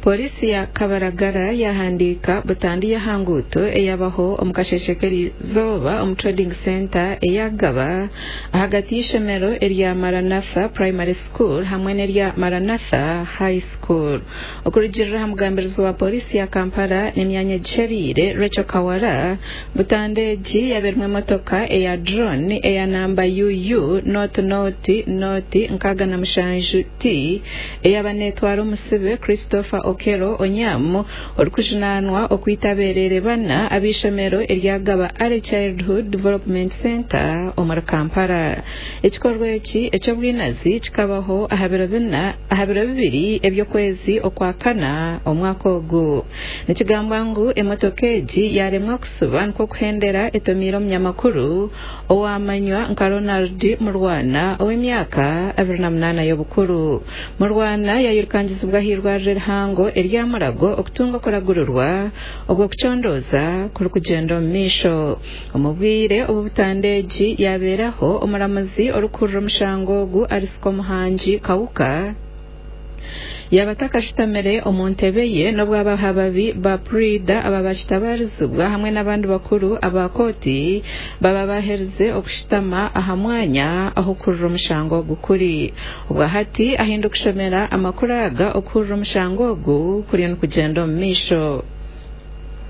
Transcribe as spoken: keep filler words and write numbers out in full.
Polisi ya Kabaragara yahandiika butandu y'ahanguuto eyabaho omu kasheeshe k'erizooba omu Trading Centre eyagaba ahagati y'eishomero erya Maranatha Primary School hamwe n'erya Maranatha High School. Okurugirira aha mugambirizi wa polisi ya Kampala n'emyanya egiheriire Rachel Kawala, butandu egi yabairimu emotoka eya drone eya namba U U nought nought nought nkaaga na mushanju T eyaba neetwara omusibe Christopher Okello Onyam, orikujunaanwa okwita abereere bana ab'eishomero eryagaba Early Childhood Development Centre omuri Kampala. Ekikorwa eki eky'obwinazi kikabaho aha biro bina aha biro bibiri eby'okwezi okwa kana omwaka ogu. Nikigambwa ngu emotoka egi yaremwa kusiba, nikwo kuhendera etomiire omunyamakuru owamanywa nka Ronald Murwana, ow'emyaka abiri na munaana y'obukuru. Murwana yayirukangizibwa ah'irwariro erihango erya Mulago okutunga okuragurirwa obwo kucondooza kurikugyenda omu maisho. Omu bwire obu butandu egi yabeeraho, omuramuzi orikuhurira omushango ogu, Alice Komuhangi Kawuka, yaba atakashutamire omu ntebe ye, n'obu abahababi ba puriida aba bakitabarizibwa hamwe n'abandi bakuru aba kooti baba baherize okushutama aha mwanya ahu okuhurira omushango ogu kuri. Obwahati ahinda okushomera amakuru aga, okuhurira omushango ogu kuriyo nikugyenda omu maisho.